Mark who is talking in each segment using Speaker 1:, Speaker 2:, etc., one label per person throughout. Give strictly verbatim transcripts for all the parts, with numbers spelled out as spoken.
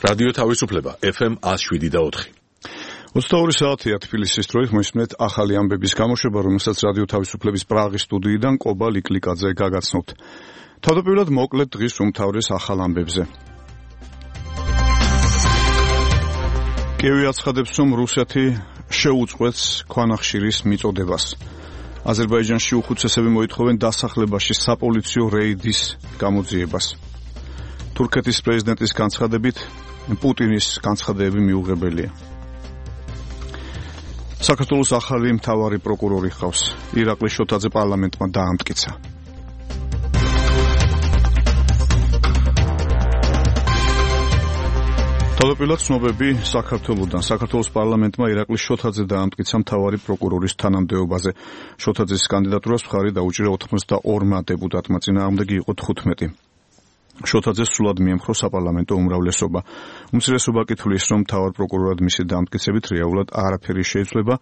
Speaker 1: რადიო თავისუფლება ეფ ემ one oh seven და four.
Speaker 2: ოცდაორი საათია თბილისის დროით მოისმენთ ახალი ამბების გამოშვება, რომელსაც რადიო თავისუფლების პრაღის სტუდიიდან კობა ლიკლიკაძე გაგაცნობთ. თავდაპირველად მოკლედ დღის უმთავრეს ახალ ამბებზე. კიევი აცხადებს, რომ რუსეთი შეუწყვეტს ქვანახშირის მიწოდებას. აზერბაიჯანში უხუცესები მოითხოვენ დასახლებაში საპოლიციო რეიდის გამოძიებას. თურქეთის პრეზიდენტის განცხადებით პუტინის განცხადებები მიუღებელია. საქართველოს ახალი მთავარი პროკურორი ხავს. ირაკლი შოთაძე პარლამენტმა დაამტკიცა. თავდაპირველად ცნობები საქართველოსთან. საქართველოს პარლამენტმა ირაკლი შოთაძე დაამტკიცა მთავარი პროკურორის თანამდებობაზე. შოთაძის კანდიდატურას მხარი დაუჭირა ოცდაორმა დეპუტატმა, წინააღმდეგი იყო თხუთმეტი. შოთაძეს სრულად მიემხრო საპარლამენტო უმრავლესობა. უმცირესობა კი თვლის, რომ მთავარ პროკურორად მისი დამტკიცებით რეალურად არაფერი შეიცვლება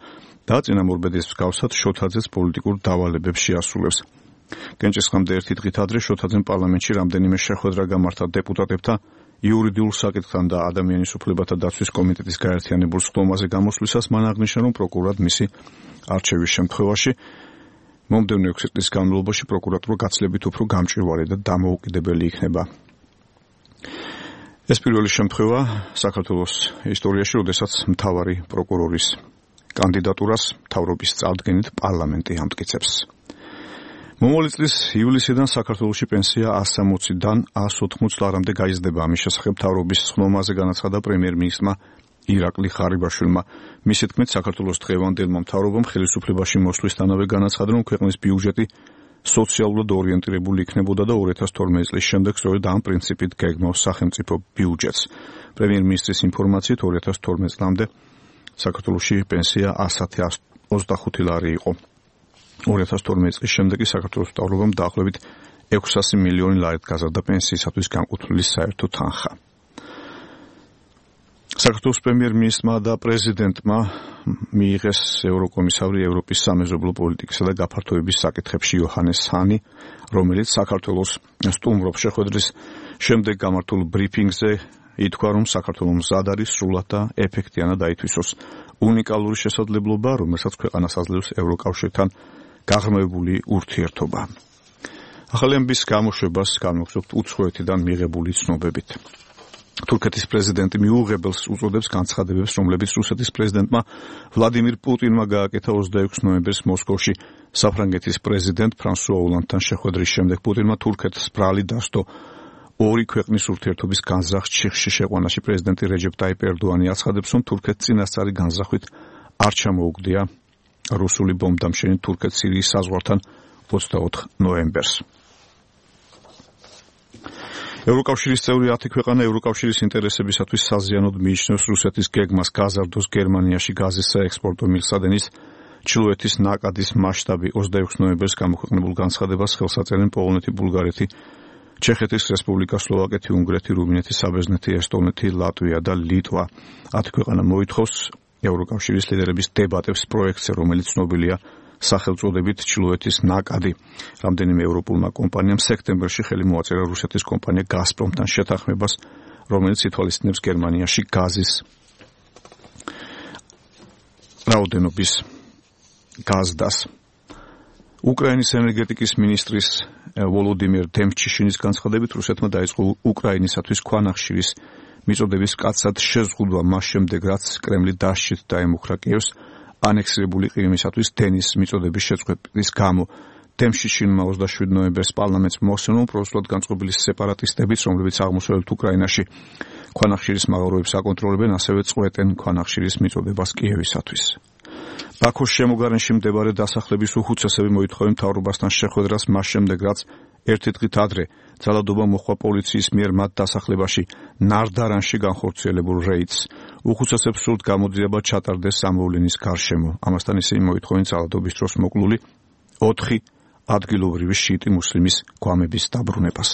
Speaker 2: და წინამორბედის მსგავსად შოთაძეს პოლიტიკურ დავალებებს შეასრულებს. კენჭისყრამდე ერთი დღით ადრე შოთაძემ პარლამენტში რამდენიმე შეხვედრა გამართა დეპუტატებთან იურიდიულ საკითხთან და ადამიანის უფლებათა დაცვის კომიტეტის გაერთიანებულ სხდომაზე გამოსვლისას მან აღნიშნა, რომ პროკურორად მისი არჩევის შემთხვევაში მომდევნო ექვსი წლის განმავლობაში პროკურატურა გაცილებით უფრო გამჭვირვალე და დამოუკიდებელი იქნება. ეს პირველი შემთხვევა საქართველოს ისტორიაში, როდესაც მთავარი პროკურორის კანდიდატურას მთავრობის წარდგენით პარლამენტი ამტკიცებს. მომავალი წლის ივლისიდან საქართველოში პენსია one sixty-დან one eighty ლარამდე გაიზრდება. ამის შესახებ მთავრობის სხდომაზე განაცხადა პრემიერ-მინისტრმა ირაკლი ხარიბაშვილმა. მისი თქმით, საქართველოს დღევანდელმა მთავრობამ ხელისუფლებაში მოსვლისთანავე განაცხადა, რომ ქვეყნის ბიუჯეტი სოციალურად ორიენტირებული იქნებოდა და two thousand twelve წლის შემდეგ სწორედ ამ პრინციპით გეგმავს სახელმწიფო ბიუჯეტს. პრემიერ-მინისტრის ინფორმაციით two thousand twelve წლამდე საქართველოში პენსია one thousand twenty-five ლარი იყო. two thousand twelve წლის შემდეგ კი საქართველოს მთავრობამ დაახლოებით six hundred მილიონი ლარით გაზარდა პენსიისათვის განკუთვნილი საერთო თანხა. საქართველოს პრემიერ-მინისტრმა და პრეზიდენტმა მიიღეს ევროკომისარი ევროპის სამეზობლო პოლიტიკისა და გაფართოების საკითხებში იოჰანეს ჰანი, რომელიც საქართველოს სტუმრობს. შეხვედრის შემდეგ გამართულ ბრიფინგზე ითქვა, რომ საქართველოს მზად არის სრულად და ეფექტიანად აითვისოს უნიკალური შესაძლებლობა, რომელსაც ქვეყანას აძლევს ევროკავშირთან გაღრმავებული ურთიერთობა. ახალი ამბის გამოშვებას განვაგრძობთ უცხოეთიდან მიღებული ცნობებით. თურქეთის პრეზიდენტი მიუღებელს უწოდებს განცხადებებს, რომლებიც რუსეთის პრეზიდენტმა ვლადიმირ პუტინმა გააკეთა ოცდაექვსი ნოემბერს მოსკოვში საფრანგეთის პრეზიდენტ ფრანსუა ოლანდთან შეხვედრის შემდეგ. პუტინმა თურქეთს ბრალი დასდო ორი ქვეყნის ურთიერთობის განზრახ ჩიხში შეყვანაში. პრეზიდენტი რეჯეპ ტაიპ ერდოანი აცხადებს, რომ თურქეთს წინასწარი განზრახვით არ ჩამოუგდია რუსული ბომბდამშენი თურქეთ სირიის საზღვართან ოცდაოთხ ნოემბერს. ევროკავშირის წევრი ათი ქვეყანა ევროკავშირის ინტერესებისათვის საზიანოდ მიიჩნევს რუსეთის გეგმას გაზარდოს გერმანიაში გაზის საექსპორტო მილსადენის ჩრდილოეთის ნაკადის მასშტაბი. ოცდაექვსი ნოემბერს გამოქვეყნებულ განცხადებას ხელს აწერენ პოლონეთი, ბულგარეთი, ჩეხეთის რესპუბლიკა, სლოვაკეთი, უნგრეთი, რუმინეთი, საბერძნეთი, ესტონეთი, ლატვია და ლიტვა. ათი ქვეყანა მოითხოვს ევროკავშირის ლიდერების დებატებს პროექტზე, რომელიც ცნობილია სახელწოდებით ჩრდილოეთის ნაკადი. რამდენიმე ევროპულმა კომპანიამ სექტემბერში ხელი მოაწერა რუსეთის კომპანია გაზპრომთან შეთანხმებას, რომელიც ითვალისწინებს გერმანიაში გაზის რაოდენობის გაზდას. უკრაინის ენერგეტიკის მინისტრის ვოლოდიმირ დემჩიშინის განცხადებით, რუსეთმა დაიწყო უკრაინისათვის ქვანახშირის მიწოდების მკაცრად შეზღუდვა მას შემდეგ, რაც კრემლი დასჭით დაემუქრა კიევს ანექსირებული ყირიმისათვის დენის მიწოდების შეწყვეტის გამო. დემშიშინმა ოცდაშვიდი ნოემბერს პარლამენტს მოახსენა, რომ პროსულად განწყობილი სეპარატისტებიც, რომლებიც აღმოსავლეთ უკრაინაში ქვანახშირის მაღაროებს აკონტროლებენ, ასევე წყვეტენ ქვანახშირის მიწოდებას კიევისათვის. ბაქოს შემოგარენში მდებარე დასახლების უხუცესები მოითხოვენ მთავრობასთან შეხვედრას მას შემდეგ, რაც ერთი დღით ადრე ძალადობა მოჰყვა პოლიციის მიერ მათ დასახლებაში ნარდარანში განხორციელებულ რეიდს. უხუცესებს სურთ გამოძიება ჩატარდეს სამოვლენის გარშემო. ამასთან ისინი მოითხოვენ ძალადობის დროს მოკლული ოთხი ადგილობრივი შიიტი მუსლიმის გვამების დაბრუნებას.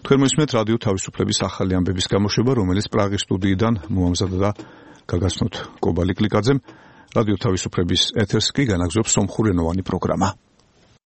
Speaker 2: თქვენ მოისმენთ რადიო თავისუფლების ახალი ამბების გამოშვება, რომელიც პრაღის სტუდიიდან მოამზადა და გაგაცნობთ კობა ლიკლიკაძემ. რადიო თავისუფლების ეთერს კი განაგზობს სომხურენოვანი პროგრამა.